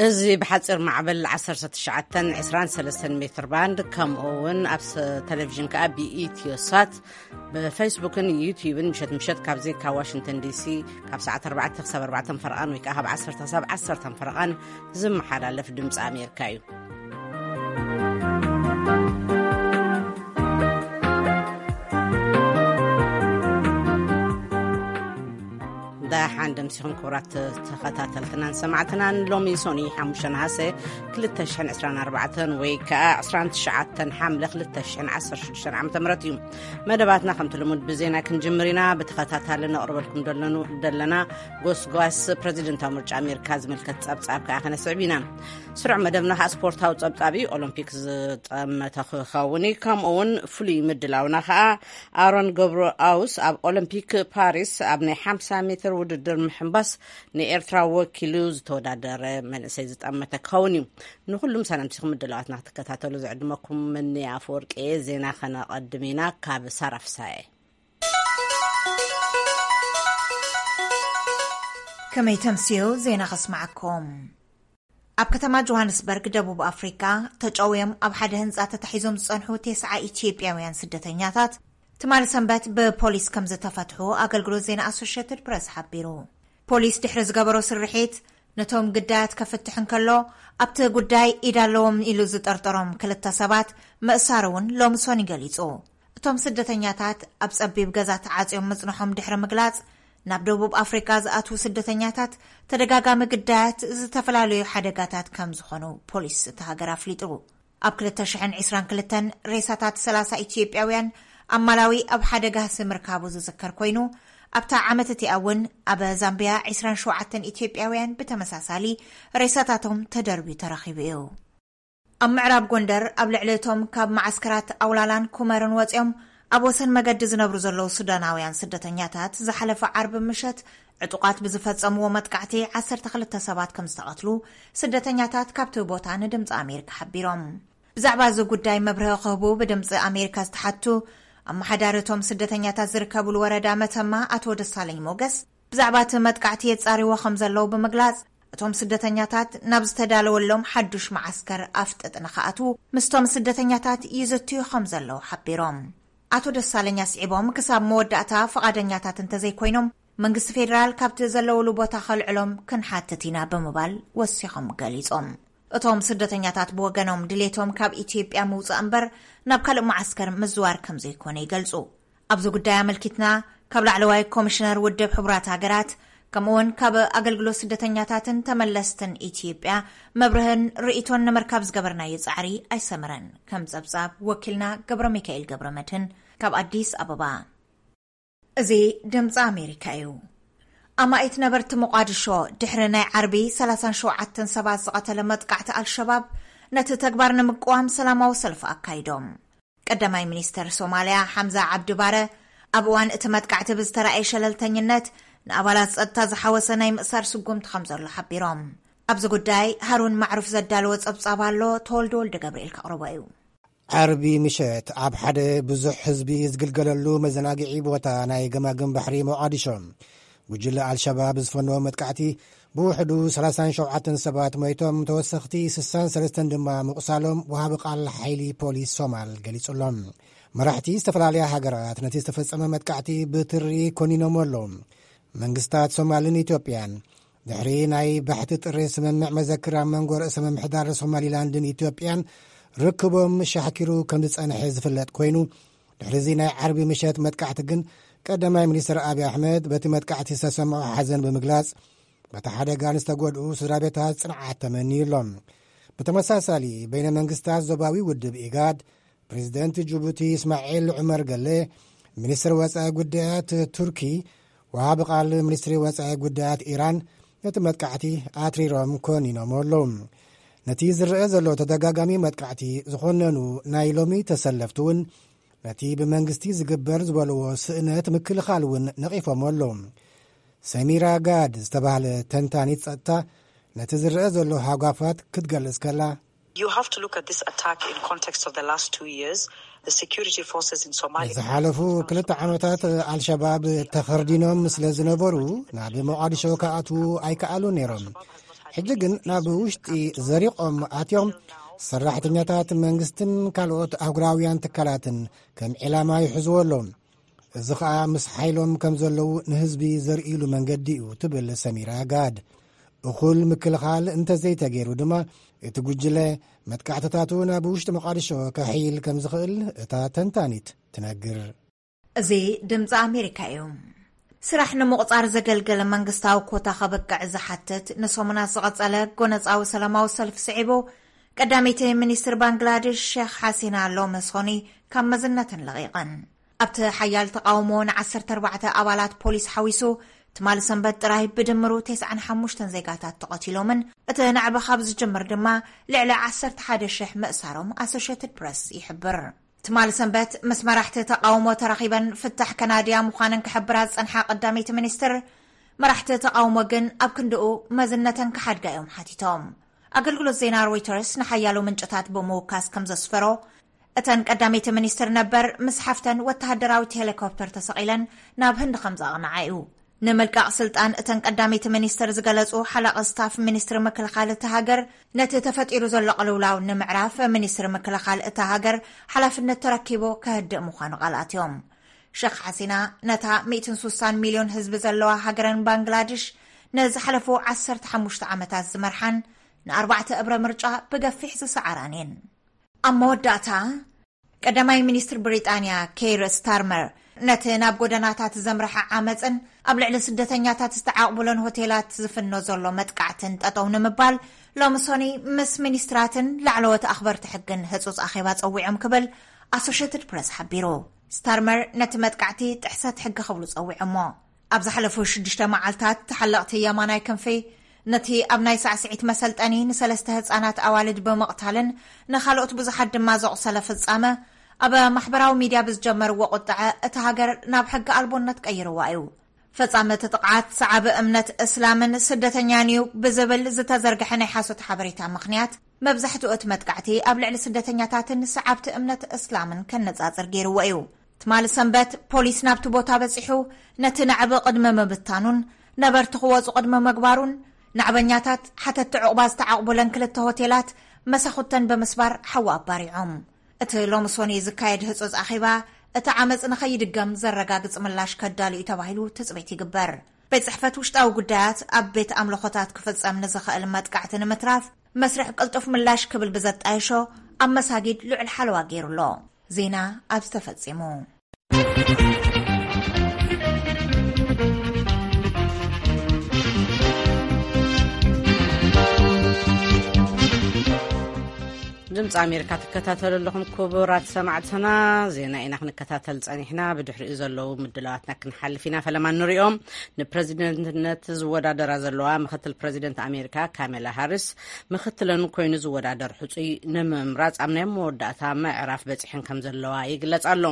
እዚ ብሓፂር ማዕበል ዓሰርተ ትሽዓተ ዕስራን ሰለስተን ሜትር ባንድ፣ ከምኡ እውን ኣብ ስ-፣ ቴሌቪዥን ከኣ ብኢትዮ ሳት፣ ብፌስቡክን ዩቲዩብን ምሸት ምሸት ካብ ዜካ ዋሽንግተን ዲሲ ካብ ሰዓት ኣርባዕተ ክሳብ ኣርባዕተ ፈረቓን ወይ ከኣ ካብ ዓሰርተ ክሳብ ዓሰርተ ፈረቓን ዝመሓላለፍ ድምፂ ኣሜሪካ እዩ። ደሓን ደምሲኹም ክቡራት ተኸታተልትናን ሰማዕትናን። ሎሚ ሶኒ ሓሙሽተ ነሓሰ ክልተ ሽሕን ዕስራን ኣርባዕተን ወይ ከኣ ዕስራን ትሽዓተን ሓምለ ክልተ ሽሕን ዓሰርተ ሽዱሽተን ዓመተ ምህረት እዩ። መደባትና ከምቲ ልሙድ ብዜና ክንጅምር ኢና። ብተኸታታሊ ነቕርበልኩም ደለኑ-፣ ደለና ጎስጓስ ፕረዚደንታዊ ምርጫ ኣሜሪካ ዝምልከት ጸብጻብ ከኣ ከነስዕብ ኢና። ስሩዕ መደብና ከኣ ስፖርታዊ ጸብጻብ እዩ። ኦሎምፒክ ዝጠመተ ክኸውን እዩ። ከምኡ እውን ፍሉይ ምድላውና ከኣ ኣሮን ገብረኣውስ ኣብ ኦሎምፒክ ፓሪስ ኣብ ናይ ሓምሳ ሜትር ውድድር ምሕንባስ ንኤርትራ ወኪሉ ዝተወዳደረ መንእሰይ ዝጠመተ ክኸውን እዩ። ንኹሉም ሰላምቲኹም ምድላዋትና ክትከታተሉ ዝዕድመኩም መኒ ኣፈወርቂ እየ። ዜና ከነቐድም ኢና ካብ ሳራ ፍሳየ። ከመይ ተምስዩ ዜና ከስማዓኩም። ኣብ ከተማ ጆሃንስበርግ ደቡብ ኣፍሪካ ተጨውዮም ኣብ ሓደ ህንፃ ተታሒዞም ዝፀንሑ ተስዓ ኢትዮጵያውያን ስደተኛታት ትማሊ ሰንበት ብፖሊስ ከም ዝተፈትሑ ኣገልግሎት ዜና ኣሶሽየትድ ፕረስ ሓቢሩ። ፖሊስ ድሕሪ ዝገበሮ ስርሒት ነቶም ግዳያት ከፍትሕ እንከሎ ኣብቲ ጉዳይ ኢድ ኣለዎም ኢሉ ዝጠርጠሮም ክልተ ሰባት ምእሳር እውን ሎሚ ሶኒ ገሊጹ። እቶም ስደተኛታት ኣብ ጸቢብ ገዛ ተዓጽዮም ምጽንሖም ድሕሪ ምግላጽ፣ ናብ ደቡብ ኣፍሪካ ዝኣትዉ ስደተኛታት ተደጋጋሚ ግዳያት ዝተፈላለዩ ሓደጋታት ከም ዝኾኑ ፖሊስ እታ ሃገር ኣፍሊጡ። ኣብ ክልተ ሽሕን ዕስራን ክልተን ሬሳታት ሰላሳ ኢትዮጵያውያን ኣብ ማላዊ ኣብ ሓደ ጋህሲ ምርካቡ ዝዝከር ኮይኑ፣ ኣብታ ዓመት እቲኣ እውን ኣብ ዛምቢያ ዕስራን ሸውዓተን ኢትዮጵያውያን ብተመሳሳሊ ሬሳታቶም ተደርብዩ ተረኺቡ እዩ። ኣብ ምዕራብ ጎንደር ኣብ ልዕሊ እቶም ካብ መዓስከራት ኣውላላን ኩመርን ወፂኦም ኣብ ወሰን መገዲ ዝነብሩ ዘለዉ ሱዳናውያን ስደተኛታት ዝሓለፈ ዓርቢ ምሸት ዕጡቓት ብዝፈጸምዎ መጥቃዕቲ ዓሰርተ ክልተ ሰባት ከም ዝተቐትሉ ስደተኛታት ካብቲ ቦታ ንድምፂ ኣሜሪካ ሓቢሮም። ብዛዕባ እዚ ጉዳይ መብርሂ ክህቡ ብድምፂ ኣሜሪካ ዝተሓቱ ኣመሓዳሪ እቶም ስደተኛታት ዝርከብሉ ወረዳ መተማ ኣቶ ደሳለኝ ሞገስ ብዛዕባ እቲ መጥቃዕቲ የጻርይዎ ከም ዘለዉ ብምግላጽ፣ እቶም ስደተኛታት ናብ ዝተዳለወሎም ሓዱሽ መዓስከር ኣፍጥጥ ንኽኣትዉ ምስቶም ስደተኛታት ይዝትዩ ከም ዘለዉ ሓቢሮም። ኣቶ ደሳለኝ ኣስዒቦም፣ ክሳብ መወዳእታ ፍቓደኛታት እንተዘይኮይኖም፣ መንግስቲ ፌደራል ካብቲ ዘለውሉ ቦታ ከልዕሎም ክንሓትት ኢና ብምባል ወሲኾም ገሊጾም። እቶም ስደተኛታት ብወገኖም ድሌቶም ካብ ኢትዮጵያ ምውጻእ እምበር ናብ ካልእ መዓስከር ምዝዋር ከም ዘይኮነ ይገልጹ። ኣብዚ ጉዳይ ኣመልኪትና ካብ ላዕለዋይ ኮሚሽነር ውድብ ሕቡራት ሃገራት ከምኡውን ካብ ኣገልግሎት ስደተኛታትን ተመለስትን ኢትዮጵያ መብርህን ርእይቶን ንምርካብ ዝገበርናዮ ጻዕሪ ኣይሰመረን። ከም ጸብጻብ ወኪልና ገብረ ሚካኤል ገብረ መድህን ካብ ኣዲስ ኣበባ። እዚ ድምፂ ኣሜሪካ እዩ። ኣማኢት ነበርቲ ሞቃዲሾ ድሕሪ ናይ ዓርቢ ሰላሳን ሸውዓተን ሰባት ዝቐተለ መጥቃዕቲ ኣልሸባብ ነቲ ተግባር ንምቅዋም ሰላማዊ ሰልፊ ኣካይዶም። ቀዳማይ ሚኒስተር ሶማልያ ሓምዛ ዓብዲ ባረ ኣብ እዋን እቲ መጥቃዕቲ ብዝተራእየ ሸለልተኝነት ንኣባላት ጸጥታ ዝሓወሰ ናይ ምእሳር ስጉምቲ ከም ዘሎ ሓቢሮም። ኣብዚ ጉዳይ ሃሩን ማዕሩፍ ዘዳለወ ጸብጻብ ኣሎ፣ ተወልደ ወልደ ገብርኤል ከቕርቦ እዩ። ዓርቢ ምሸት ኣብ ሓደ ብዙሕ ህዝቢ ዝግልገለሉ መዘናግዒ ቦታ ናይ ገማግም ባሕሪ ሞቓዲሾ ጉጅለ ኣልሸባብ ዝፈነዎ መጥቃዕቲ ብውሕዱ ሰላሳን ሸውዓተን ሰባት ሞይቶም፣ ተወሰኽቲ ስሳን ሰለስተን ድማ ምቑሳሎም ወሃቢ ቃል ሓይሊ ፖሊስ ሶማል ገሊጹ ኣሎ። መራሕቲ ዝተፈላለያ ሃገራት ነቲ ዝተፈጸመ መጥቃዕቲ ብትሪ ኮኒኖሞ ኣለዉ። መንግስታት ሶማልን ኢትዮጵያን ድሕሪ ናይ ባሕቲ ጥሪ ስምምዕ መዘክር ኣብ መንጎ ርእሰ ምምሕዳር ሶማሊላንድን ኢትዮጵያን ርክቦም ሻሕኪሩ ከም ዝጸንሐ ዝፍለጥ ኮይኑ፣ ድሕሪ እዚ ናይ ዓርቢ ምሸት መጥቃዕቲ ግን ቀዳማይ ሚኒስትር ኣብይ ኣሕመድ በቲ መጥቃዕቲ ዝተሰምዖ ሓዘን ብምግላጽ፣ በቲ ሓደጋ ንዝተጎድኡ ስድራ ቤታት ጽንዓት ተመንዩ ኣሎ። ብተመሳሳሊ በይነ መንግስታት ዞባዊ ውድብ ኢጋድ፣ ፕሬዚደንት ጅቡቲ እስማዒል ዑመር ገሌ፣ ሚኒስትር ወጻኢ ጉዳያት ቱርኪ፣ ወሃቢ ቃል ሚኒስትሪ ወጻኢ ጉዳያት ኢራን ነቲ መጥቃዕቲ ኣትሪሮም ኮኒኖም ኣለዉ። ነቲ ዝረአ ዘሎ ተደጋጋሚ መጥቃዕቲ ዝኾነኑ ናይ ሎሚ ተሰለፍቲ እውን ነቲ ብመንግስቲ ዝግበር ዝበልዎ ስእነት ምክልኻል እውን ነቒፎም ኣለዉ። ሰሚራ ጋድ ዝተባህለ ተንታኒት ጸጥታ ነቲ ዝረአ ዘሎ ሃጓፋት ክትገልጽ ከላ፣ You have to look at this attack in context of the last two years. The security forces in Somalia ንዝሓለፉ ክልተ ዓመታት ኣልሸባብ ተኸርዲኖም ስለ ዝነበሩ ናብ ሞቓዲሾ ክኣትዉ ኣይከኣሉን ነይሮም። ሕጂ ግን ናብ ውሽጢ ዘሪቖም ኣትዮም ሰራሕተኛታት መንግስትን ካልኦት ኣህጉራውያን ትካላትን ከም ዒላማ ይሕዝዎ ኣለዉ። እዚ ኸኣ ምስ ሓይሎም ከም ዘለዉ ንህዝቢ ዘርእሉ መንገዲ እዩ ትብል ሰሚራ ጋድ። እኹል ምክልኻል እንተዘይተገይሩ ድማ እቲ ጉጅለ መጥቃዕትታቱ ናብ ውሽጢ መቓድሾ ከሕይል ከም ዝኽእል እታ ተንታኒት ትነግር። እዚ ድምፂ ኣሜሪካ እዩ። ስራሕ ንምቑፃር ዘገልገለ መንግስታዊ ኮታ ከበቅዕ ዝሓትት ንሰሙናት ዝቐጸለ ጎነጻዊ ሰላማዊ ሰልፊ ስዒቡ፣ ቀዳመይቲ ሚኒስትር ባንግላዴሽ ሼክ ሓሲና ሎሚ ሶኒ ካብ መዝነተን ለቒቐን። ኣብቲ ሓያል ተቓውሞ ንዓሰርተ ኣርባዕተ ኣባላት ፖሊስ ሓዊሱ ትማሊ ሰንበት ጥራይ ብድምሩ ተስዓን ሓሙሽተን ዜጋታት ተቐቲሎምን እቲ ናዕቢ ካብ ዝጅምር ድማ ልዕሊ ዓሰርተ ሓደ ሽሕ ምእሳሮም ኣሶሽየትድ ፕረስ ይሕብር። ትማሊ ሰንበት ምስ መራሕቲ ተቓውሞ ተራኺበን ፍታሕ ከናድያ ምዃነን ክሕብራ ዝጸንሓ ቀዳመይቲ ሚኒስትር፣ መራሕቲ ተቓውሞ ግን ኣብ ክንድኡ መዝነተን ክሓድጋ እዮም ሓቲቶም። ኣገልግሎት ዜና ሮይተርስ ንሓያሎ ምንጭታት ብምውካስ ከም ዘስፈሮ፣ እተን ቀዳመይቲ ሚኒስትር ነበር ምስ ሓፍተን ወተሃደራዊት ሄሊኮፕተር ተሰቒለን ናብ ህንዲ ከም ዘቕንዓ እዩ። ንምልቃቕ ስልጣን እተን ቀዳመይቲ ሚኒስትር ዝገለጹ ሓላቒ ስታፍ ሚኒስትሪ ምክልኻል እታ ሃገር፣ ነቲ ተፈጢሩ ዘሎ ቅልውላው ንምዕራፍ ሚኒስትሪ ምክልኻል እታ ሃገር ሓላፍነት ተረኪቡ ከህድእ ምዃኑ ቃል ኣትዮም። ሸኽ ሓሲና ነታ ሚእትን ሱሳን ሚልዮን ህዝቢ ዘለዋ ሃገረን ባንግላድሽ ንዝሓለፉ ዓሰርተ ሓሙሽተ ዓመታት ዝመርሓን ንኣርባዕተ እብረ ምርጫ ብገፊሕ ዝሰዓራን እየን። ኣብ መወዳእታ፣ ቀዳማይ ሚኒስትር ብሪጣንያ ኬይር ስታርመር ነቲ ናብ ጎደናታት ዘምርሐ ዓመፅን ኣብ ልዕሊ ስደተኛታት ዝተዓቕብሎን ሆቴላት ዝፍኖ ዘሎ መጥቃዕትን ጠጠው ንምባል ሎሚ ሶኒ ምስ ሚኒስትራትን ላዕለዎት ኣኽበርቲ ሕግን ህጹጽ ኣኼባ ጸዊዖም ክብል ኣሶሽየትድ ፕረስ ሓቢሩ። ስታርመር ነቲ መጥቃዕቲ ጥሕሰት ሕጊ ክብሉ ጸዊዖሞ። ኣብ ዝሓለፉ ሽዱሽተ መዓልታት ተሓለቕቲ የማናይ ክንፊ ነቲ ኣብ ናይ ሳዕስዒት መሰልጠኒ ንሰለስተ ህጻናት ኣዋልድ ብምቕታልን ንኻልኦት ብዙሓት ድማ ዘቑሰለ ፍጻመ ኣብ ማሕበራዊ ሚድያ ብዝጀመርዎ ቁጥዐ እታ ሃገር ናብ ሕጊ ኣልቦነት ቀይርዋ እዩ። ፈጻሚ እቲ ጥቕዓት ሰዓቢ እምነት እስላምን ስደተኛን እዩ ብዝብል ዝተዘርግሐ ናይ ሓሶት ሓበሬታ ምኽንያት መብዛሕትኡ እቲ መጥቃዕቲ ኣብ ልዕሊ ስደተኛታትን ሰዓብቲ እምነት እስላምን ከነጻጽር ገይርዎ እዩ። ትማሊ ሰንበት ፖሊስ ናብቲ ቦታ በጺሑ ነቲ ናዕቢ ቅድሚ ምብታኑን ነበርቲ ክወጹ ቅድሚ ምግባሩን ናዕበኛታት ሓተቲ ዕቑባ ዝተዓቕቡለን ክልተ ሆቴላት መሳኹተን ብምስባር ሓዊ ኣባሪዖም። እቲ ሎሚ ሶኒ ዝካየድ ህጹጽ ኣኼባ እቲ ዓመጽ ንኸይድገም ዘረጋግጽ ምላሽ ከዳሉ እዩ ተባሂሉ ትጽቢት ይግበር። ቤት ጽሕፈት ውሽጣዊ ጉዳያት ኣብ ቤት ኣምልኾታት ክፍጸም ንዝኽእል መጥቃዕቲ ንምትራፍ መስርሕ ቅልጡፍ ምላሽ ክብል ብዘጣየሾ ኣብ መሳጊድ ልዑል ሓለዋ ገይሩ ኣሎ። ዜና ኣብዚ ተፈጺሙ። ድምፂ ኣሜሪካ ትከታተሉ ኣለኹም ክቡራት ሰማዕትና። ዜና ኢና ክንከታተል ጸኒሕና። ብድሕሪኡ ዘለዉ ምድላዋትና ክንሓልፍ ኢና። ፈለማ ንሪኦም። ንፕረዚደንትነት ዝወዳደራ ዘለዋ ምክትል ፕረዚደንት ኣሜሪካ ካሜላ ሃሪስ ምክትለን ኮይኑ ዝወዳደር ሕጹይ ንምምራጽ ኣብ ናይ መወዳእታ ምዕራፍ በጺሐን ከም ዘለዋ ይግለጽ ኣሎ።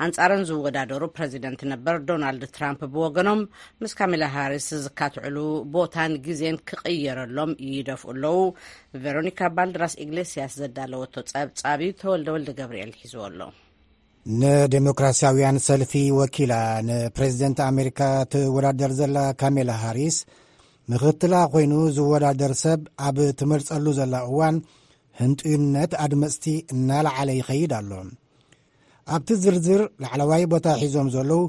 ኣንጻረን ዝወዳደሩ ፕረዚደንት ነበር ዶናልድ ትራምፕ ብወገኖም ምስ ካሜላ ሃሪስ ዝካትዕሉ ቦታን ግዜን ክቕየረሎም ይደፍኡ ኣለዉ። ቬሮኒካ ባልድራስ ኢግሌስያስ ዘዳለወቶ ጸብጻብ እዩ፣ ተወልደ ወልደ ገብርኤል ሒዝዎ ኣሎ። ንዴሞክራሲያውያን ሰልፊ ወኪላ ንፕሬዚደንት ኣሜሪካ ትወዳደር ዘላ ካሜላ ሃሪስ፣ ምኽትላ ኮይኑ ዝወዳደር ሰብ ኣብ ትመርጸሉ ዘላ እዋን፣ ህንጡይነት ኣድመጽቲ እናለዓለ ይኸይድ ኣሎ። ኣብቲ ዝርዝር ላዕለዋይ ቦታ ሒዞም ዘለዉ፣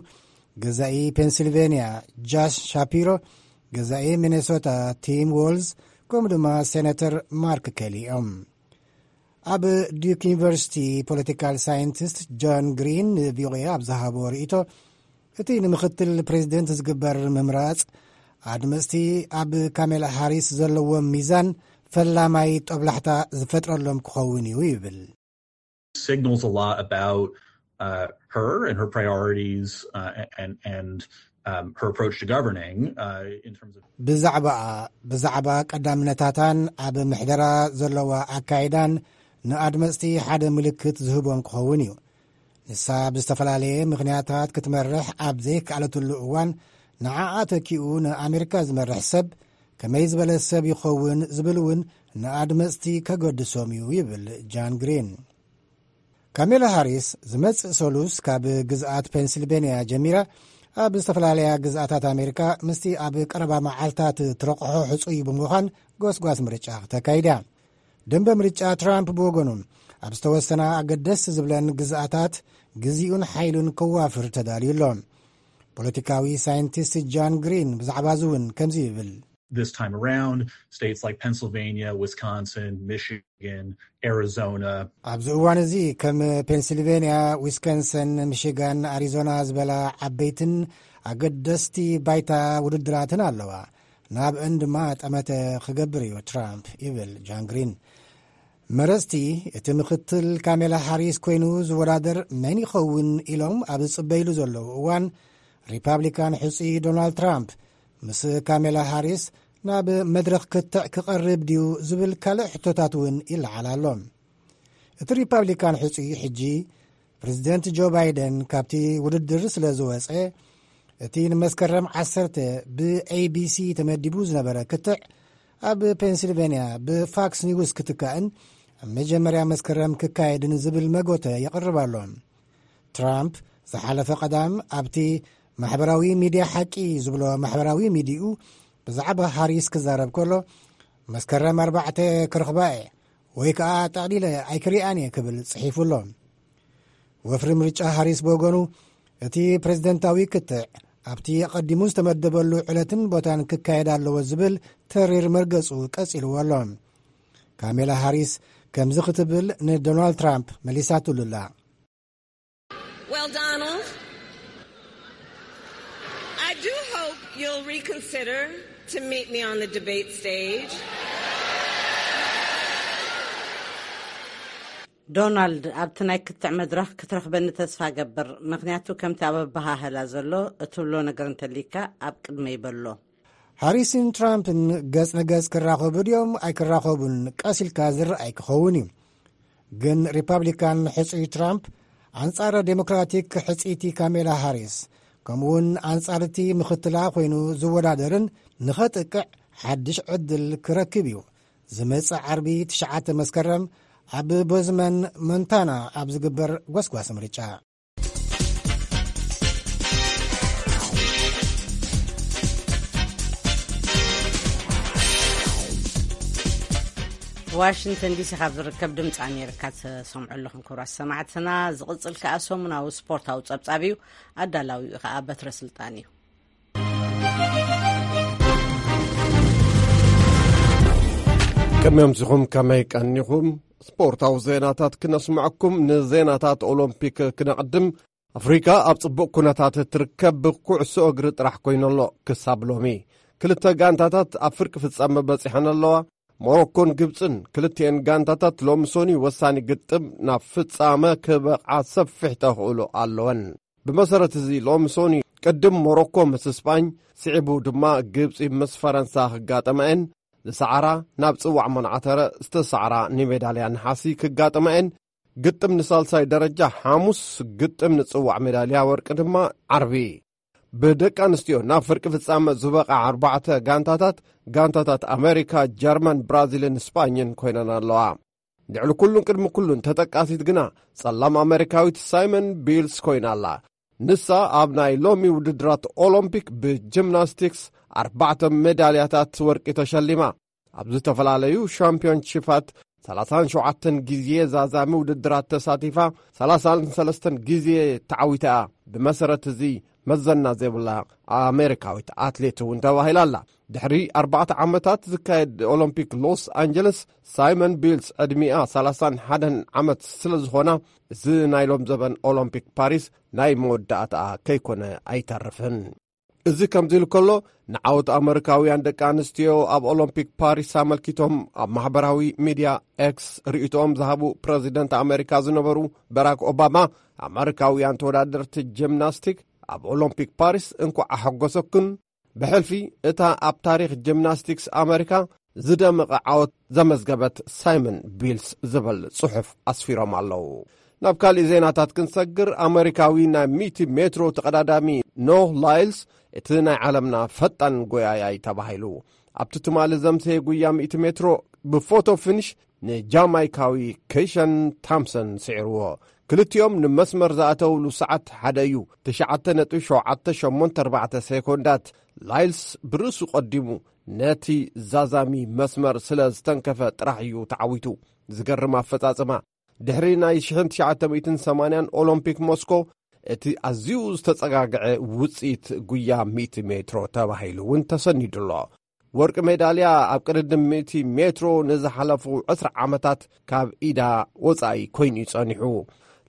ገዛኢ ፔንሲልቬንያ ጃሽ ሻፒሮ፣ ገዛኢ ሚኔሶታ ቲም ዎልዝ፣ ከምኡ ድማ ሴናተር ማርክ ኬሊ እዮም። ኣብ ዲዩክ ዩኒቨርሲቲ ፖለቲካል ሳይንቲስት ጆን ግሪን ንቪኦኤ ኣብ ዝሃቦ ርእይቶ፣ እቲ ንምኽትል ፕሬዚደንት ዝግበር ምምራጽ ኣድመጽቲ ኣብ ካሜላ ሃሪስ ዘለዎም ሚዛን ፈላማይ ጦብላሕታ ዝፈጥረሎም ክኸውን እዩ ይብል። Signals a lot about uh, her and her priorities uh, and and um, her approach to governing uh, in terms of ብዛዕባኣ፣ ብዛዕባ ቀዳምነታታን ኣብ ምሕደራ ዘለዋ ኣካይዳን ንኣድመጽቲ ሓደ ምልክት ዝህቦም ክኸውን እዩ። ንሳ ብዝተፈላለየ ምኽንያታት ክትመርሕ ኣብ ዘይከኣለትሉ እዋን፣ ንዓኣ ተኪኡ ንኣሜሪካ ዝመርሕ ሰብ ከመይ ዝበለ ሰብ ይኸውን ዝብል እውን ንኣድመጽቲ ከገድሶም እዩ ይብል ጃን ግሪን። ካሜላ ሃሪስ ዝመጽእ ሰሉስ ካብ ግዝኣት ፔንሲልቬንያ ጀሚራ ኣብ ዝተፈላለያ ግዝኣታት ኣሜሪካ ምስቲ ኣብ ቀረባ መዓልታት ትረቕሖ ሕጹይ ብምዃን ጎስጓስ ምርጫ ክተካይድ እያ። ደንበ ምርጫ ትራምፕ ብወገኑ፣ ኣብ ዝተወሰና ኣገደስ ዝብለን ግዝኣታት ግዜኡን ሓይሉን ከዋፍር ተዳልዩ ኣሎ። ፖለቲካዊ ሳይንቲስት ጃን ግሪን ብዛዕባ እዚ እውን ከምዚ ይብል። This time around, states like Pennsylvania, Wisconsin, Michigan, Arizona. ኣብዚ እዋን እዚ ከም ፔንሲልቬንያ፣ ዊስኮንሰን፣ ሚሽጋን፣ ኣሪዞና ዝበላ ዓበይትን ኣገደስቲ ባይታ ውድድራትን ኣለዋ። ናብእን ድማ ጠመተ ክገብር እዩ ትራምፕ፣ ይብል ጃን ግሪን። መረጽቲ፣ እቲ ምኽትል ካሜላ ሃሪስ ኮይኑ ዝወዳደር መን ይኸውን ኢሎም ኣብ ዝጽበይሉ ዘለዉ እዋን፣ ሪፓብሊካን ሕጹይ ዶናልድ ትራምፕ ምስ ካሜላ ሃሪስ ናብ መድረኽ ክትዕ ክቐርብ ድዩ ዝብል ካልእ ሕቶታት እውን ይለዓል ኣሎ። እቲ ሪፓብሊካን ሕጹይ ሕጂ ፕሬዚደንት ጆ ባይደን ካብቲ ውድድር ስለ ዝወጸ፣ እቲ ንመስከረም ዓሰርተ ብኤቢሲ ተመዲቡ ዝነበረ ክትዕ ኣብ ፔንሲልቬንያ ብፋክስ ኒውስ ክትካእን ኣብ መጀመርያ መስከረም ክካየድን ዝብል መጎተ የቕርብ ኣሎ። ትራምፕ ዝሓለፈ ቀዳም ኣብቲ ማሕበራዊ ሚድያ ሓቂ ዝብሎ ማሕበራዊ ሚድያኡ ብዛዕባ ሃሪስ ክዛረብ ከሎ፣ መስከረም ኣርባዕተ ክረኽባ እየ ወይ ከኣ ጠቕሊለ ኣይክሪኣን እየ ክብል ጽሒፉ ኣሎ። ወፍሪ ምርጫ ሃሪስ ብወገኑ፣ እቲ ፕሬዝደንታዊ ክትዕ ኣብቲ ኣቐዲሙ ዝተመደበሉ ዕለትን ቦታን ክካየድ ኣለዎ ዝብል ተሪር መርገጹ ቀጺልዎ ኣሎ። ካሜላ ሃሪስ ከምዚ ክትብል ንዶናልድ ትራምፕ መሊሳትሉ ኣላ። Well, Donald, I do hope you'll reconsider to meet me on the debate stage. ዶናልድ፣ ኣብቲ ናይ ክትዕ መድረኽ ክትረኽበኒ ተስፋ ገብር፣ ምኽንያቱ ከምቲ ኣብ ኣበሃህላ ዘሎ እትብሎ ነገር እንተሊካ ኣብ ቅድመይ በሎ። ሃሪስን ትራምፕን ገጽ ንገጽ ክራኸቡ ድዮም ኣይክራኸቡን ቀስ ኢልካ ዝረኣይ ክኸውን እዩ። ግን ሪፓብሊካን ሕጹይ ትራምፕ ኣንጻር ዴሞክራቲክ ሕጽይቲ ካሜላ ሃሪስ፣ ከምኡውን ኣንጻርቲ ምኽትላ ኮይኑ ዝወዳደርን ንኸጥቅዕ ሓድሽ ዕድል ክረክብ እዩ። ዝመጽእ ዓርቢ ትሽዓተ መስከረም ኣብ ቦዝመን ሞንታና ኣብ ዝግበር ጎስጓስ ምርጫ። ዋሽንግተን ዲሲ ካብ ዝርከብ ድምፂ ኣሜሪካ ትሰምዑ ኣለኹም ክቡራት ሰማዕትና። ዝቕፅል ከኣ ሰሙናዊ ስፖርታዊ ፀብፃብ እዩ። ኣዳላዊኡ ከኣ በትረ ስልጣን እዩ። ቅድሚ ምሲኹም ከመይ ቀኒኹም? ስፖርታዊ ዜናታት ክነስምዐኩም። ንዜናታት ኦሎምፒክ ክነቕድም። ኣፍሪካ ኣብ ጽቡቕ ኩነታት ትርከብ ብኩዕሶ እግሪ ጥራሕ ኮይኑ ኣሎ። ክሳብ ሎሚ ክልተ ጋንታታት ኣብ ፍርቂ ፍጻመ በጺሐን ኣለዋ። ሞሮኮን ግብጽን ክልቲኤን ጋንታታት ሎሚ ሶኒ ወሳኒ ግጥም ናብ ፍጻመ ክበቕዓ ሰፊሕ ተኽእሎ ኣለወን። ብመሰረት እዚ ሎሚ ሶኒ ቅድም ሞሮኮ ምስ ስጳኝ፣ ስዒቡ ድማ ግብጺ ምስ ፈረንሳ ክጋጠማ እየን። ዝሰዓራ ናብ ጽዋዕ መናዕተረ ዝተሰዓራ ንሜዳልያ ነሓሲ ክጋጠማ እየን። ግጥም ንሳልሳይ ደረጃ ሓሙስ፣ ግጥም ንጽዋዕ ሜዳልያ ወርቂ ድማ ዓርቢ። ብደቂ ኣንስትዮ ናብ ፍርቂ ፍጻመ ዝበቓ ኣርባዕተ ጋንታታት፣ ጋንታታት ኣሜሪካ፣ ጀርመን፣ ብራዚልን ስጳኝን ኮይነን ኣለዋ። ልዕሊ ኩሉን ቅድሚ ኩሉን ተጠቃሲት ግና ጸላም ኣሜሪካዊት ሳይመን ቢልስ ኮይና ኣላ። ንሳ ኣብ ናይ ሎሚ ውድድራት ኦሎምፒክ ብጂምናስቲክስ ኣርባዕተ ሜዳልያታት ወርቂ ተሸሊማ። ኣብ ዝተፈላለዩ ሻምፒዮንሺፓት ሰላሳን ሸውዓተን ግዜ ዛዛሚ ውድድራት ተሳቲፋ፣ ሰላሳን ሰለስተን ግዜ ተዓዊታ እያ። ብመሰረት እዚ መዘና ዘይብላ ኣሜሪካዊት ኣትሌት እውን ተባሂላ ኣላ። ድሕሪ ኣርባዕተ ዓመታት ዝካየድ ኦሎምፒክ ሎስ ኣንጀለስ፣ ሳይመን ቢልስ ዕድሚኣ ሰላሳን ሓደን ዓመት ስለ ዝኾና፣ እዚ ናይ ሎም ዘበን ኦሎምፒክ ፓሪስ ናይ መወዳእታኣ ከይኮነ ኣይተርፍን። እዚ ከምዚ ኢሉ ከሎ፣ ንዓወት ኣመሪካውያን ደቂ ኣንስትዮ ኣብ ኦሎምፒክ ፓሪስ ኣመልኪቶም ኣብ ማሕበራዊ ሚድያ ኤክስ ርእይቶኦም ዝሃቡ ፕረዚደንት ኣሜሪካ ዝነበሩ በራክ ኦባማ፣ ኣመሪካውያን ተወዳደርቲ ጂምናስቲክ ኣብ ኦሎምፒክ ፓሪስ እንኳዕ ኣሐጎሰኩን፣ ብሕልፊ እታ ኣብ ታሪኽ ጂምናስቲክስ ኣመሪካ ዝደመቐ ዓወት ዘመዝገበት ሳይመን ቢልስ ዝብል ጽሑፍ ኣስፊሮም ኣለዉ። ናብ ካሊእ ዜናታት ክንሰግር፣ ኣመሪካዊ ናይ ሚእቲ ሜትሮ ተቐዳዳሚ ኖህ ላይልስ እቲ ናይ ዓለምና ፈጣን ጎያያይ ተባሂሉ። ኣብቲ ትማሊ ዘምሰየ ጉያ ሚእቲ ሜትሮ ብፎቶ ፊኒሽ ንጃማይካዊ ኬሸን ታምሰን ስዒርዎ። ክልቲኦም ንመስመር ዝኣተውሉ ሰዓት ሓደ እዩ። ትሽዓተ ነጥቢ ሸውዓተ ሸሞንተ ኣርባዕተ ሴኮንዳት። ላይልስ ብርእሱ ቀዲሙ ነቲ ዛዛሚ መስመር ስለ ዝተንከፈ ጥራሕ እዩ ተዓዊቱ። ዝገርም ኣፈጻጽማ። ድሕሪ ናይ ሽሕን ትሽዓተ ሚእትን ሰማንያን ኦሎምፒክ ሞስኮ፣ እቲ ኣዝዩ ዝተጸጋግዐ ውጽኢት ጉያ ሚእቲ ሜትሮ ተባሂሉ እውን ተሰኒዱ ኣሎ። ወርቂ ሜዳልያ ኣብ ቅድድም ሚእቲ ሜትሮ ንዝሓለፉ ዕስራ ዓመታት ካብ ኢዳ ወጻኢ ኮይኑ እዩ ጸኒሑ።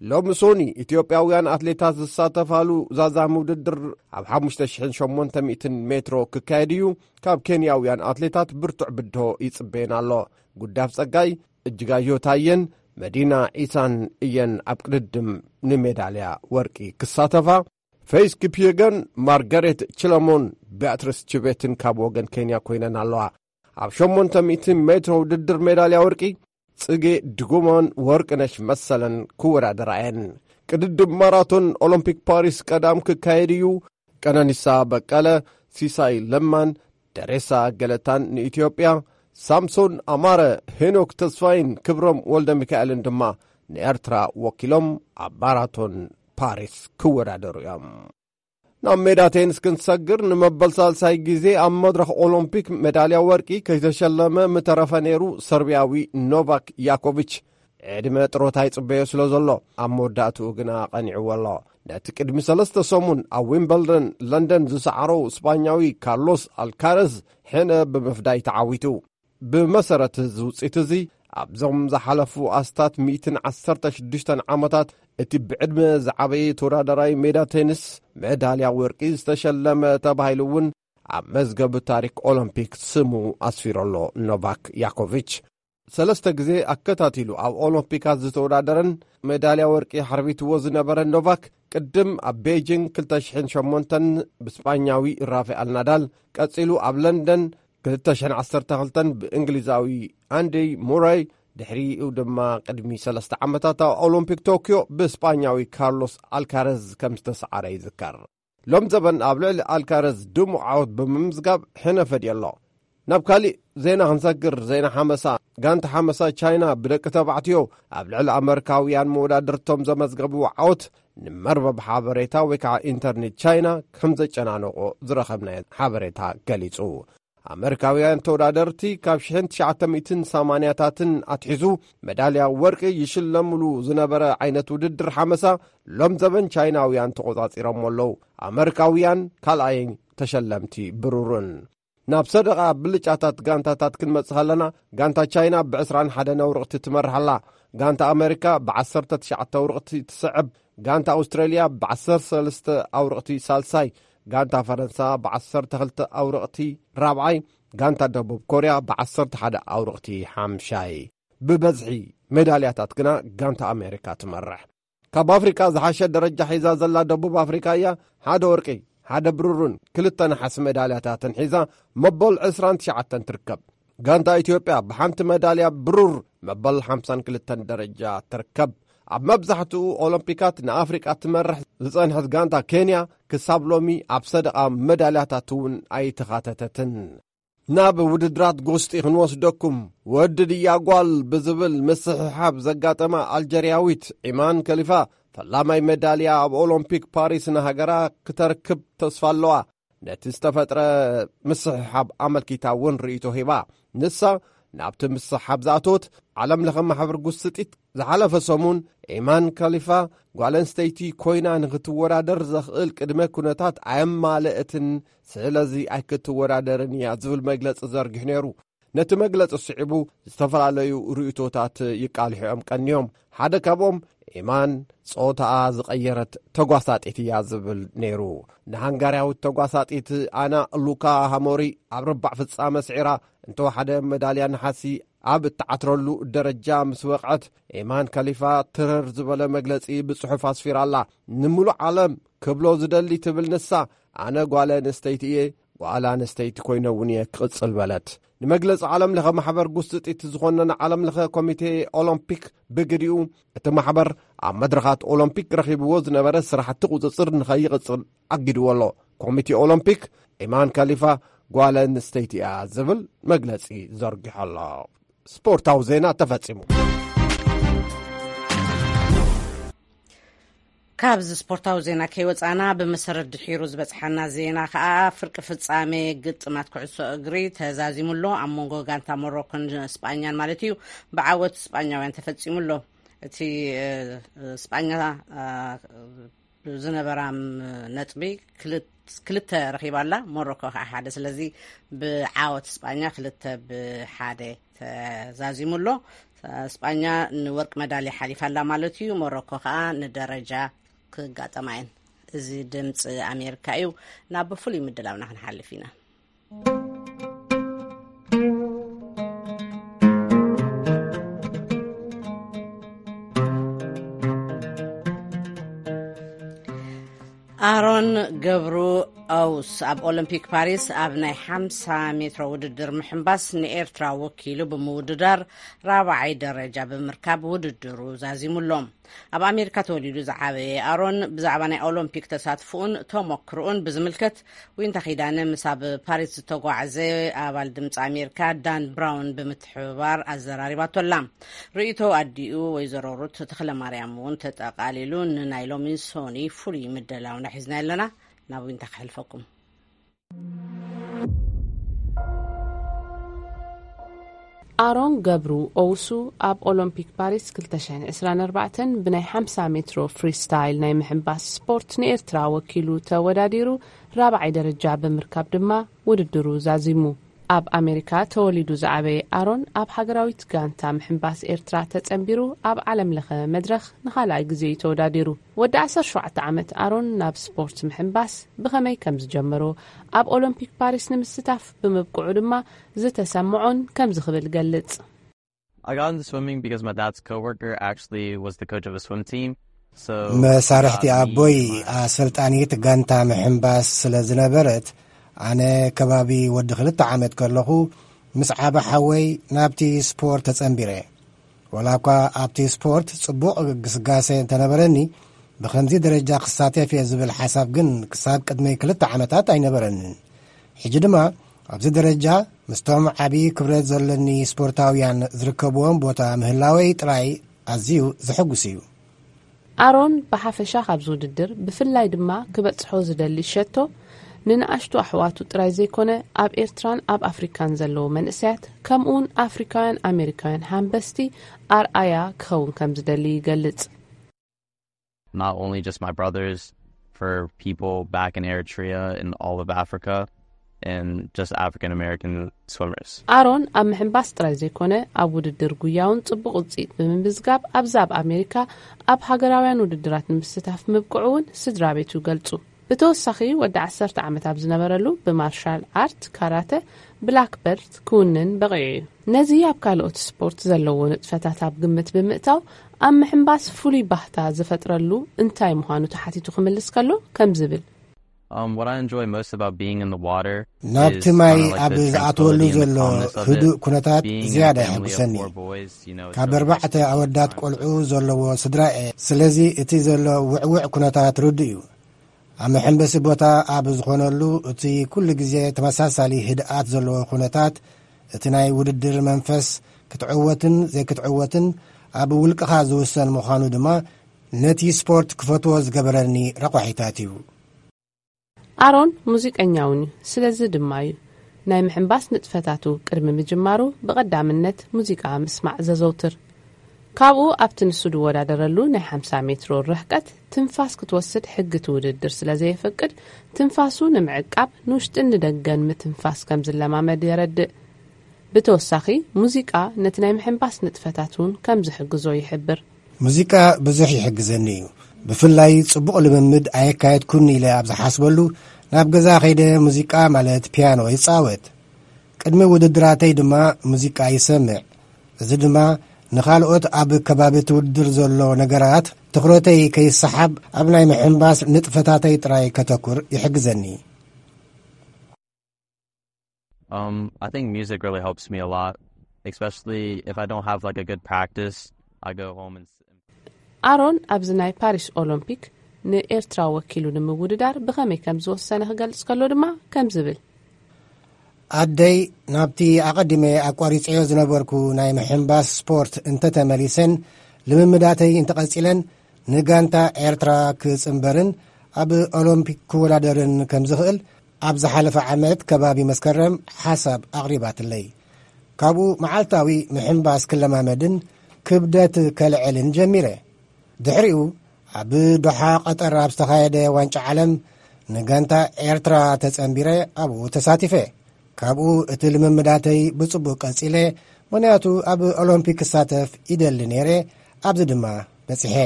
ሎሚ ሶኒ ኢትዮጵያውያን ኣትሌታት ዝሳተፋሉ ዛዛሚ ውድድር ኣብ ሓሙሽተ ሽሕን ሸሞንተ ሚእትን ሜትሮ ክካየድ እዩ። ካብ ኬንያውያን ኣትሌታት ብርቱዕ ብድሆ ይጽበየን ኣሎ። ጉዳፍ ጸጋይ፣ እጅጋዮ ታየን መዲና ዒሳን እየን ኣብ ቅድድም ንሜዳልያ ወርቂ ክሳተፋ። ፌይስ ኪፕየገን፣ ማርጋሬት ችለሞን፣ ቢያትሪስ ችቤትን ካብ ወገን ኬንያ ኮይነን ኣለዋ። ኣብ ሸሞንተ ሚእቲ ሜትሮ ውድድር ሜዳልያ ወርቂ ጽጌ ድጉማን ወርቅነሽ መሰለን ክወዳደራ እየን። ቅድድም ማራቶን ኦሎምፒክ ፓሪስ ቀዳም ክካየድ እዩ። ቀነኒሳ በቀለ፣ ሲሳይ ለማን ደሬሳ ገለታን ንኢትዮጵያ፣ ሳምሶን ኣማረ፣ ሄኖክ ተስፋይን ክብሮም ወልደ ሚካኤልን ድማ ንኤርትራ ወኪሎም ኣብ ማራቶን ፓሪስ ክወዳደሩ እዮም። ናብ ሜዳ ቴኒስ ክንሰግር፣ ንመበል ሳልሳይ ግዜ ኣብ መድረኽ ኦሎምፒክ ሜዳልያ ወርቂ ከይተሸለመ ምተረፈ ነይሩ ሰርቢያዊ ኖቫክ ያኮቪች፣ ዕድመ ጥሮታ ይጽበዮ ስለ ዘሎ ኣብ መወዳእትኡ ግና ቀኒዕዎ ኣሎ። ነቲ ቅድሚ ሰለስተ ሰሙን ኣብ ዊምበልደን ለንደን ዝሰዓሮ ስጳኛዊ ካርሎስ ኣልካረዝ ሕነ ብምፍዳይ ተዓዊቱ። ብመሰረት እዚ ውጽኢት እዚ ኣብዞም ዝሓለፉ ኣስታት ሚእትን ዓሰርተ ሽዱሽተን ዓመታት እቲ ብዕድመ ዝዓበየ ተወዳዳራይ ሜዳ ቴኒስ ሜዳልያ ወርቂ ዝተሸለመ ተባሂሉ እውን ኣብ መዝገብ ታሪክ ኦሎምፒክ ስሙ ኣስፊሩ ኣሎ። ኖቫክ ያኮቪች ሰለስተ ግዜ ኣከታቲሉ ኣብ ኦሎምፒካት ዝተወዳደረን ሜዳልያ ወርቂ ሓርቢትዎ ዝነበረ ኖቫክ፣ ቅድም ኣብ ቤጂንግ ክልተ ሽሕን ሸሞንተን ብስጳኛዊ ራፋኤል ናዳል፣ ቀጺሉ ኣብ ለንደን ክልተ ሽሕን ዓሰርተ ክልተን ብእንግሊዛዊ ኣንዲ ሙራይ፣ ድሕሪኡ ድማ ቅድሚ ሰለስተ ዓመታት ኣብ ኦሎምፒክ ቶክዮ ብስጳኛዊ ካርሎስ ኣልካረዝ ከም ዝተሰዓረ ይዝከር። ሎም ዘበን ኣብ ልዕሊ ኣልካረዝ ድሙቕ ዓወት ብምምዝጋብ ሕነ ፈድዩ ኣሎ። ናብ ካሊእ ዜና ክንሰግር፣ ዜና ሓመሳ። ጋንታ ሓመሳ ቻይና ብደቂ ተባዕትዮ ኣብ ልዕሊ ኣመሪካውያን መወዳድርቶም ዘመዝገብዎ ዓወት ንመርበብ ሓበሬታ ወይ ከዓ ኢንተርኔት ቻይና ከም ዘጨናነቆ ዝረኸብናዮ ሓበሬታ ገሊጹ። ኣመሪካውያን ተወዳደርቲ ካብ ሽሕን ትሽዓተ ሚእትን ሰማንያታትን ኣትሒዙ መዳልያ ወርቂ ይሽለምሉ ዝነበረ ዓይነት ውድድር ሓመሳ ሎም ዘበን ቻይናውያን ተቖጻጺሮሞ ኣለዉ። ኣመሪካውያን ካልኣይ ተሸለምቲ ብሩርን። ናብ ሰደቓ ብልጫታት ጋንታታት ክንመጽእ ከለና፣ ጋንታ ቻይና ብዕስራን ሓደን ኣውርቕቲ ትመርሕ ኣላ። ጋንታ ኣመሪካ ብዓሰርተ ትሽዓተ ኣውርቕቲ ትስዕብ። ጋንታ ኣውስትራልያ ብዓሰርተ ሰለስተ ኣውርቕቲ ሳልሳይ። ጋንታ ፈረንሳ ብዓሰርተ ክልተ ኣውርቕቲ ራብዓይ። ጋንታ ደቡብ ኮርያ ብዓሰርተ ሓደ ኣውርቕቲ ሓምሻይ። ብበዝሒ ሜዳልያታት ግና ጋንታ ኣሜሪካ ትመርሕ። ካብ ኣፍሪቃ ዝሓሸ ደረጃ ሒዛ ዘላ ደቡብ ኣፍሪቃ እያ። ሓደ ወርቂ፣ ሓደ ብሩርን ክልተ ነሓስ ሜዳልያታትን ሒዛ መበል ዕስራን ትሽዓተን ትርከብ። ጋንታ ኢትዮጵያ ብሓንቲ ሜዳልያ ብሩር መበል ሓምሳን ክልተን ደረጃ ትርከብ። ኣብ መብዛሕትኡ ኦሎምፒካት ንኣፍሪቃ ትመርሕ ዝጸንሐት ጋንታ ኬንያ ክሳብ ሎሚ ኣብ ሰደቓ ሜዳልያታት እውን ኣይተኻተተትን። ናብ ውድድራት ጎስጢ ክንወስደኩም። ወዲ ድያ ጓል ብዝብል ምስሕሓብ ዘጋጠማ ኣልጀርያዊት ዒማን ከሊፋ፣ ፈላማይ ሜዳልያ ኣብ ኦሎምፒክ ፓሪስ ንሃገራ ክተርክብ ተስፋ ኣለዋ። ነቲ ዝተፈጥረ ምስሕሓብ ኣመልኪታ እውን ርእይቶ ሂባ። ንሳ ናብቲ ምስሕሓብ ዝኣተወት ዓለም ለኸ ማሕበር ጉስጢት ዝሓለፈ ሰሙን፣ ዒማን ከሊፋ ጓል ኣንስተይቲ ኮይና ንክትወዳደር ዘኽእል ቅድመ ኩነታት ኣየማለእትን፣ ስለዚ ኣይክትወዳደርን እያ ዝብል መግለጺ ዘርጊሑ ነይሩ። ነቲ መግለጺ ስዒቡ ዝተፈላለዩ ርእይቶታት ይቃልሑ እዮም ቀንዮም። ሓደ ካብኦም፣ ዒማን ጾታኣ ዝቐየረት ተጓሳጢት እያ ዝብል ነይሩ። ንሃንጋርያዊት ተጓሳጢት ኣና ሉካ ሃሞሪ ኣብ ርባዕ ፍጻመ ስዒራ እንተወሓደ መዳልያ ነሓሲ ኣብ እትዓትረሉ ደረጃ ምስ በቕዐት፣ ኤማን ካሊፋ ትረር ዝበለ መግለጺ ብጽሑፍ ኣስፊራ ኣላ። ንምሉእ ዓለም ክብሎ ዝደሊ ትብል ንሳ፣ ኣነ ጓል ኣንስተይቲ እየ፣ ጓል ኣንስተይቲ ኮይነ እውን እየ ክቕጽል በለት። ንመግለጺ ዓለም ለኸ ማሕበር ጉስጢት ዝኾነነ ዓለም ለኸ ኮሚቴ ኦሎምፒክ ብግዲኡ፣ እቲ ማሕበር ኣብ መድረኻት ኦሎምፒክ ረኺብዎ ዝነበረ ስራሕቲ ቁጽጽር ንኸይቕጽል ኣጊድዎ ኣሎ። ኮሚቴ ኦሎምፒክ፣ ኤማን ካሊፋ ጓል ኣንስተይቲ እያ ዝብል መግለጺ ዘርጊሑ ኣሎ። ስፖርታዊ ዜና ተፈጺሙ። ካብዚ ስፖርታዊ ዜና ከይወጻና፣ ብመሰረት ድሒሩ ዝበጽሓና ዜና ከኣ፣ ፍርቂ ፍጻሜ ግጥማት ኩዕሶ እግሪ ተዛዚሙ ኣሎ። ኣብ መንጎ ጋንታ ሞሮኮን ስጳኛን ማለት እዩ፣ ብዓወት ስጳኛውያን ተፈጺሙ ኣሎ። እቲ፣ እ፣ ስጳኛ፣ እ፣ ዝነበራ፣ ም፣ ነጥቢ ክልት-፣ ክልተ ረኺባ ኣላ። ሞሮኮ ከኣ ሓደ። ስለዚ ብዓወት ስጳኛ ክልተ ብሓደ ተዛዚሙ ኣሎ። ስጳኛ ንወርቂ መዳልያ ሓሊፋ ኣላ ማለት እዩ። ሞሮኮ ከኣ ንደረጃ ክጋጠማ እየን። እዚ ድምፂ ኣሜሪካ እዩ። ናብ ፍሉይ ምድላውና ክንሓልፍ ኢና። ኣሮን ገብሩ ኦውስ ኣብ ኦሎምፒክ ፓሪስ ኣብ ናይ ሓምሳ ሜትሮ ውድድር ምሕንባስ ንኤርትራ ወኪሉ ብምውድዳር ራብዓይ ደረጃ ብምርካብ ውድድሩ ዛዚሙ ኣሎ። ኣብ ኣሜሪካ ተወሊዱ ዝዓበየ ኣሮን፣ ብዛዕባ ናይ ኦሎምፒክ ተሳትፎኡን ተሞክሮኡን ብዝምልከት፣ ዊንታ ኪዳነ ምስ ኣብ ፓሪስ ዝተጓዕዘ ኣባል ድምፂ ኣሜሪካ ዳን ብራውን ብምትሕብባር ኣዘራሪባቶ ኣላ። ርእይቶ ኣዲኡ ወይዘሮ ሩት ተኽለ ማርያም እውን ተጠቓሊሉ፣ ንናይ ሎሚ ሶኒ ፍሉይ ምድላውና ሒዝና ኣለና። ናብ ዊንታ ከሕልፈኩም። ኣሮን ገብሩ ኦውሱ ኣብ ኦሎምፒክ ፓሪስ ክልተ ሽሕን ዕስራን ኣርባዕተን ብናይ ሓምሳ ሜትሮ ፍሪስታይል ናይ ምሕንባስ ስፖርት ንኤርትራ ወኪሉ ተወዳዲሩ፣ ራብዓይ ደረጃ ብምርካብ ድማ ውድድሩ ዛዚሙ። ኣብ ኣሜሪካ ተወሊዱ ዝዓበየ ኣሮን፣ ኣብ ሃገራዊት ጋንታ ምሕንባስ ኤርትራ ተጸንቢሩ፣ ኣብ ዓለም ለኸ መድረኽ ንኻልኣይ ግዜ እዩ ተወዳዲሩ። ወዲ ዓሰርተ ሸውዓተ ዓመት ኣሮን ናብ ስፖርት ምሕንባስ ብኸመይ ከም ዝጀመሮ፣ ኣብ ኦሎምፒክ ፓሪስ ንምስታፍ ብምብቅዑ ድማ ዝተሰምዖን ከምዚ ክብል ይገልጽ። I got into swimming because my dad's coworker actually was the coach of a swim team. So መሳርሕቲ ኣቦይ ኣሰልጣኒት ጋንታ ምሕንባስ ስለ ዝነበረት፣ ኣነ ከባቢ ወዲ ክልተ ዓመት ከለኹ ምስ ዓበ ሓወይ ናብቲ ስፖርት ተጸንቢረ። ወላ እኳ ኣብቲ ስፖርት ጽቡቕ ግስጋሴ እንተነበረኒ፣ ብኸምዚ ደረጃ ክሳተፍ እየ ዝብል ሓሳብ ግን ክሳብ ቅድሚ ክልተ ዓመታት ኣይነበረንን። ሕጂ ድማ ኣብዚ ደረጃ ምስቶም ዓቢ ክብረት ዘለኒ ስፖርታውያን ዝርከብዎም ቦታ ምህላወይ ጥራይ ኣዝዩ ዘሐጉስ እዩ። ኣሮን ብሓፈሻ ካብዚ ውድድር ብፍላይ ድማ ክበጽሖ ዝደሊ ሸቶ ንንኣሽቱ ኣሕዋቱ ጥራይ ዘይኮነ ኣብ ኤርትራን ኣብ ኣፍሪካን ዘለዉ መንእሰያት ከምኡውን ኣፍሪካውያን ኣሜሪካውያን ሃንበስቲ ኣርኣያ ክኸውን ከም ዝደሊ ይገልጽ። Not only just my brothers, for people back in Eritrea and all of Africa and just African American swimmers. ኣሮን ኣብ ምሕንባስ ጥራይ ዘይኮነ ኣብ ውድድር ጉያ እውን ጽቡቕ ውጽኢት ብምምዝጋብ ኣብዚ ኣብ ኣሜሪካ ኣብ ሃገራውያን ውድድራት ንምስታፍ ምብቅዑ እውን ስድራ ቤቱ ይገልጹ። ብተወሳኺ ወዲ ዓሰርተ ዓመት ኣብ ዝነበረሉ ብማርሻል ኣርት፣ ካራተ፣ ብላክ በልት ክውንን በቒዑ እዩ። ነዚ ኣብ ካልኦት ስፖርት ዘለዎ ንጥፈታት ኣብ ግምት ብምእታው ኣብ ምሕንባስ ፍሉይ ባህታ ዝፈጥረሉ እንታይ ምዃኑ ተሓቲቱ ክምልስ ከሎ ከምዚ ይብል። Um, what I enjoy most about being in the water ናብቲ ማይ ኣብ ዝኣትወሉ ዘሎ ህዱእ ኩነታት ዝያዳ የሐጉሰኒ። ካብ ኣርባዕተ ኣወዳት ቆልዑ ዘለዎ ስድራ እየ። ስለዚ እቲ ዘሎ ውዕውዕ ኩነታት ርዱእ እዩ። ኣብ መሐንበሲ ቦታ ኣብ ዝኾነሉ እቲ ኩሉ ግዜ ተመሳሳሊ ህድኣት ዘለዎ ኩነታት እቲ ናይ ውድድር መንፈስ ክትዕወትን ዘይክትዕወትን ኣብ ውልቅኻ ዝውሰን ምዃኑ ድማ ነቲ ስፖርት ክፈትዎ ዝገበረኒ ረቋሒታት እዩ። ኣሮን ሙዚቀኛ እውን እዩ። ስለዚ ድማ እዩ ናይ ምሕንባስ ንጥፈታቱ ቅድሚ ምጅማሩ ብቐዳምነት ሙዚቃ ምስማዕ ዘዘውትር። ካብኡ ኣብቲ ንሱ ዝወዳደረሉ ናይ ሓምሳ ሜትሮ ርሕቀት ትንፋስ ክትወስድ ሕጊ እቲ ውድድር ስለ ዘየፈቅድ ትንፋሱ ንምዕቃብ ንውሽጥን ንደገን ምትንፋስ ከም ዝለማመድ የረድእ። ብተወሳኺ ሙዚቃ ነቲ ናይ ምሕንባስ ንጥፈታት እውን ከም ዝሕግዞ ይሕብር። ሙዚቃ ብዙሕ ይሕግዘኒ እዩ። ብፍላይ ጽቡቕ ልምምድ ኣየካየድኩን ኢለ ኣብ ዝሓስበሉ ናብ ገዛ ከይደ ሙዚቃ ማለት ፒያኖ ይጻወት። ቅድሚ ውድድራተይ ድማ ሙዚቃ ይሰምዕ። እዚ ድማ ንኻልኦት ኣብ ከባቢ እቲ ውድድር ዘሎ ነገራት ትኹረተይ ከይሰሓብ ኣብ ናይ ምሕንባስ ንጥፈታተይ ጥራይ ከተኩር ይሕግዘኒ። Um, I think music really helps me a lot, especially if I don't have like a good practice. I go home and ኣሮን ኣብዚ ናይ ፓሪስ ኦሎምፒክ ንኤርትራ ወኪሉ ንምውድዳር ብኸመይ ከም ዝወሰነ ክገልጽ ከሎ ድማ ከም ዝብል። ኣደይ ናብቲ ኣቐዲመ ኣቋሪጸዮ ዝነበርኩ ናይ ምሕንባስ ስፖርት እንተተመሊሰን ልምምዳተይ እንተቐጺለን ንጋንታ ኤርትራ ክጽንበርን ኣብ ኦሎምፒክ ክወዳደርን ከም ዝኽእል ኣብ ዝሓለፈ ዓመት ከባቢ መስከረም ሓሳብ ኣቕሪባትለይ። ካብኡ መዓልታዊ ምሕንባስ ክለማመድን ክብደት ከልዕልን ጀሚረ። ድሕሪኡ ኣብ ዶሓ ቀጠር ኣብ ዝተኻየደ ዋንጫ ዓለም ንጋንታ ኤርትራ ተጸንቢረ ኣብኡ ተሳቲፈ። ካብኡ እቲ ልምምዳተይ ብጽቡቕ ቀጺለ፣ ምኽንያቱ ኣብ ኦሎምፒክ ክሳተፍ ይደሊ ነይረ፣ ኣብዚ ድማ በጺሐ።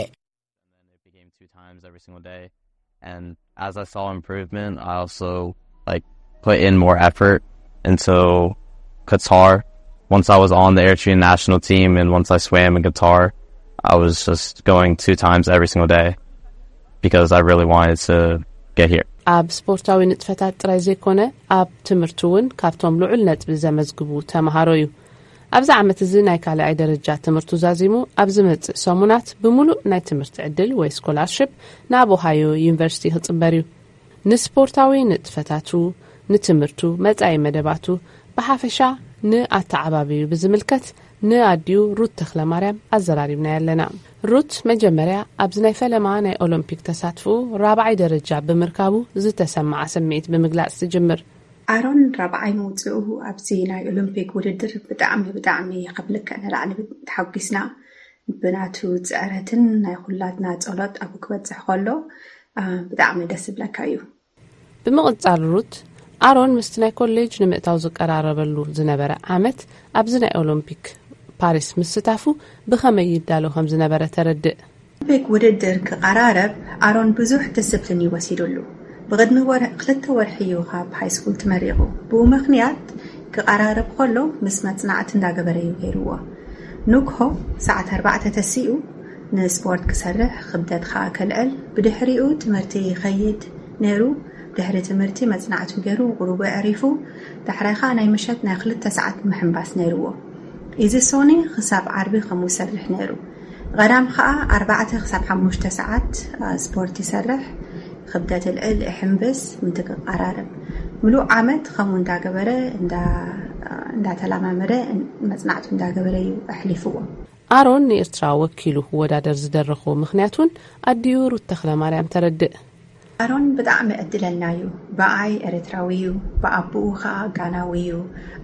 It became two times every single day. And as I saw improvement, I also, like, put in more effort into Qatar. Once I was on the Eritrean national team and once I swam in Qatar, I was just going two times every single day because I really wanted to get here. ኣብ ስፖርታዊ ንጥፈታት ጥራይ ዘይኮነ፣ ኣብ ትምህርቲ እውን ካብቶም ልዑል ነጥቢ ዘመዝግቡ ተምሃሮ እዩ። ኣብዚ ዓመት እዚ ናይ ካልኣይ ደረጃ ትምህርቱ ዛዚሙ ኣብ ዝመጽእ ሰሙናት ብምሉእ ናይ ትምህርቲ ዕድል ወይ ስኮላርሽፕ ናብ ኦሃዮ ዩኒቨርሲቲ ክጽንበር እዩ። ንስፖርታዊ ንጥፈታቱ፣ ንትምህርቱ፣ መጻኢ መደባቱ፣ ብሓፈሻ ንኣተዓባቢዩ ብዝምልከት ንኣዲኡ ሩት ተኽለ ማርያም ኣዘራሪብናያ ኣለና። ሩት መጀመርያ ኣብዚ ናይ ፈለማ ናይ ኦሎምፒክ ተሳትፎ ራብዓይ ደረጃ ብምርካቡ ዝተሰምዓ ስምዒት ብምግላጽ ትጅምር። ኣሮን ራብዓይ ምውፅኡ ኣብዚ ናይ ኦሎምፒክ ውድድር ብጣዕሚ ብጣዕሚ ካብ ልክዕ ንላዕሊ ተሓጒስና። ብናቱ ፅዕረትን ናይ ኩላትና ጸሎት ኣብኡ ክበፅሕ ከሎ፣ አ፣ ብጣዕሚ ደስ ዝብለካ እዩ። ብምቕጻል ሩት፣ ኣሮን ምስቲ ናይ ኮሌጅ ንምእታው ዝቀራረበሉ ዝነበረ ዓመት ኣብዚ ናይ ኦሎምፒክ ፓሪስ ምስታፉ ብኸመይ ይዳሎ ከም ዝነበረ ተረድእ። ኦሎምፒክ ውድድር ክቐራረብ ኣሮን ብዙሕ ዲስፕሊን እዩ ወሲዱሉ። ብቕድሚ ወር-፣ ክልተ ወርሒ እዩ ካብ ሃይ ስኩል ተመሪቑ። ብኡ ምኽንያት ክቐራረብ ከሎ ምስ መጽናዕቲ እንዳገበረ እዩ ገይርዎ። ንግሆ ሰዓት ኣርባዕተ ተሲኡ ንስፖርት ክሰርሕ፣ ክብደት ኸኣ ከልዕል፣ ብድሕሪኡ ትምህርቲ ይኸይድ ነይሩ። ድሕሪ ትምህርቲ መጽናዕቱ ገይሩ ቁሩቡ ኣዕሪፉ፣ ዳሕራይ ኸኣ ናይ ምሸት ናይ ክልተ ሰዓት ምሕንባስ ነይርዎ። እዚ ሶኒ ክሳብ ዓርቢ ከምኡ ይሰርሕ ነይሩ። ቀዳም ኸኣ ኣርባዕተ ክሳብ ሓሙሽተ ሰዓት፣ አ፣ ስፖርት ይሰርሕ፣ ክብደት እልዕል፣ እሕምብስ፣ ምንቲ ክቀራረብ። ምሉእ ዓመት ከምኡ እንዳገበረ፣ እንዳ-፣ እንዳተለማመደ፣ መጽናዕቱ እንዳገበረ እዩ ኣሕሊፍዎ። ኣሮን ንኤርትራ ወኪሉ ክወዳደር ዝደረኾ ምኽንያት እውን ኣዲኡ ሩት ተኽለ ማርያም ተረድእ። ኣሮን ብጣዕሚ ዕድለኛ እዩ። ብኣይ ኤርትራዊ እዩ፣ ብኣቦኡ ኸኣ ጋናዊ እዩ።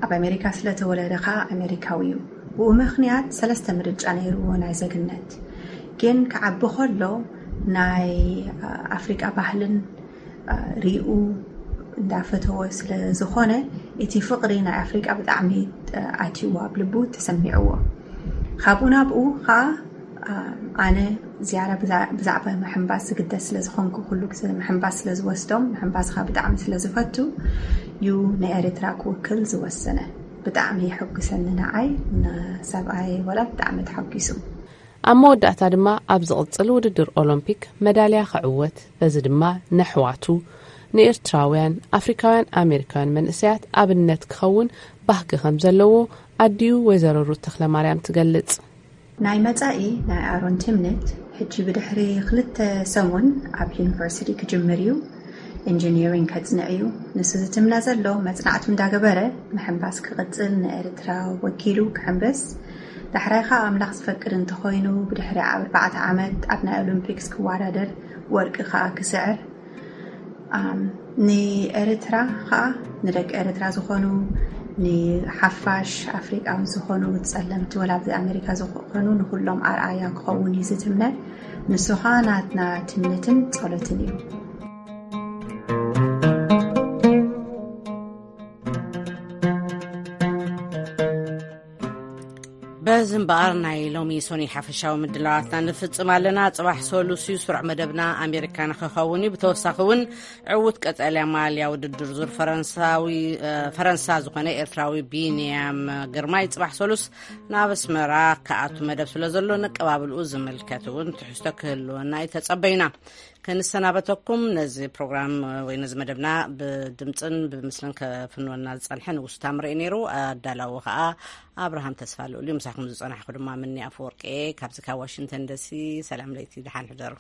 ኣብ ኣሜሪካ ስለተወለደ ኸኣ ኣሜሪካዊ እዩ። ብኡ ምኽንያት ሰለስተ ምርጫ ነይርዎ ናይ ዜግነት። ግን ክዓቢ ከሎ ናይ፣ አ፣ ኣፍሪቃ ባህልን፣ አ፣ ሪኡ እንዳፈተወ ስለ ዝኾነ፣ እቲ ፍቕሪ ናይ ኣፍሪቃ ብጣዕሚ፣ አ፣ ኣትይዎ፣ ኣብ ልቡ ተሰሚዕዎ። ካብኡ ናብኡ ኸኣ፣ አ፣ ኣነ ዝያዳ ብዛ-፣ ብዛዕባ ምሕንባስ ዝግደስ ስለ ዝኾንኩ፣ ኩሉ ግዜ ምሕንባስ ስለ ዝወስዶም፣ ምሕንባስ ኸኣ ብጣዕሚ ስለ ዝፈቱ እዩ ንኤርትራ ክውክል ዝወሰነ። ብጣዕሚ የሐጉሰኒ ንዓይ፣ ንሰብኣይ ወላ ብጣዕሚ ተሓጒሱ። ኣብ መወዳእታ ድማ ኣብ ዝቕጽል ውድድር ኦሎምፒክ መዳልያ ክዕወት፣ በዚ ድማ ነሕዋቱ፣ ንኤርትራውያን፣ ኣፍሪካውያን ኣሜሪካውያን መንእሰያት ኣብነት ክኸውን ባህጊ ከም ዘለዎ ኣዲኡ ወይዘሮ ሩት ተኽለማርያም ትገልጽ። ናይ መጻኢ ናይ ኣሮን ትምኒት፣ ሕጂ ብድሕሪ ክልተ ሰሙን ኣብ ዩኒቨርሲቲ ክጅምር እዩ። ኢንጂኒሪንግ ከጽንዕ እዩ። ንሱ ዝትምነ ዘሎ መጽናዕቱ እንዳገበረ ምሕንባስ ክቕጽል፣ ንኤርትራ ወኪሉ ክሕንብስ። ዳሕራይ ኸኣ ኣምላኽ ዝፈቅድ እንተኾይኑ ብድሕሪ ኣርባዕተ ዓመት ኣብ ናይ ኦሎምፒክስ ክወዳደር፣ ወርቂ ኸኣ ክስዕር። ኣም፣ ንኤርትራ ኸኣ፣ ንደቂ ኤርትራ ዝኾኑ፣ ንሓፋሽ ኣፍሪቃውያን ዝኾኑ፣ ጸለምቲ ወላ ኣብዚ ኣሜሪካ ዝኾኑ፣ ንኹሎም ኣርኣያ ክኸውን እዩ ዝትምነ። ንሱ ኸኣ ናትና ትምኒትን ጸሎትን እዩ። በዚ እምበኣር ናይ ሎሚ ሶኒ ሓፈሻዊ ምድላዋትና ንፍጽም ኣለና። ጽባሕ ሰሉስ እዩ ስሩዕ መደብና ኣሜሪካ ንኽኸውን እዩ። ብተወሳኺ እውን ዕዉት ቀጠልያ ማልያ ውድድር ዙር ፈረንሳዊ፣ እ፣ ፈረንሳ ዝኾነ ኤርትራዊ ቢንያም ግርማይ ጽባሕ ሰሉስ ናብ ኣስመራ ክኣቱ መደብ ስለ ዘሎ፣ ነቀባብልኡ ዝምልከት እውን ትሕዝቶ ክህልወና እዩ ተጸበዩና። ከንሰናበተኩም፣ ነዚ ፕሮግራም ወይ ነዚ መደብና ብድምጽን ብምስልን ከፍንወና ዝጸንሐ ንጉስ ታምረ እዩ ነይሩ። ኣዳላዊ ኸኣ ኣብርሃም ተስፋ ልኡል እዩ። ምሳኹም ዝጸናሕኩ ድማ ምኒ ኣፈወርቂ እየ። ካብዚ ካብ ዋሽንግተን ዲሲ ሰላም ለይቲ፣ ደሓን ሕደሩ።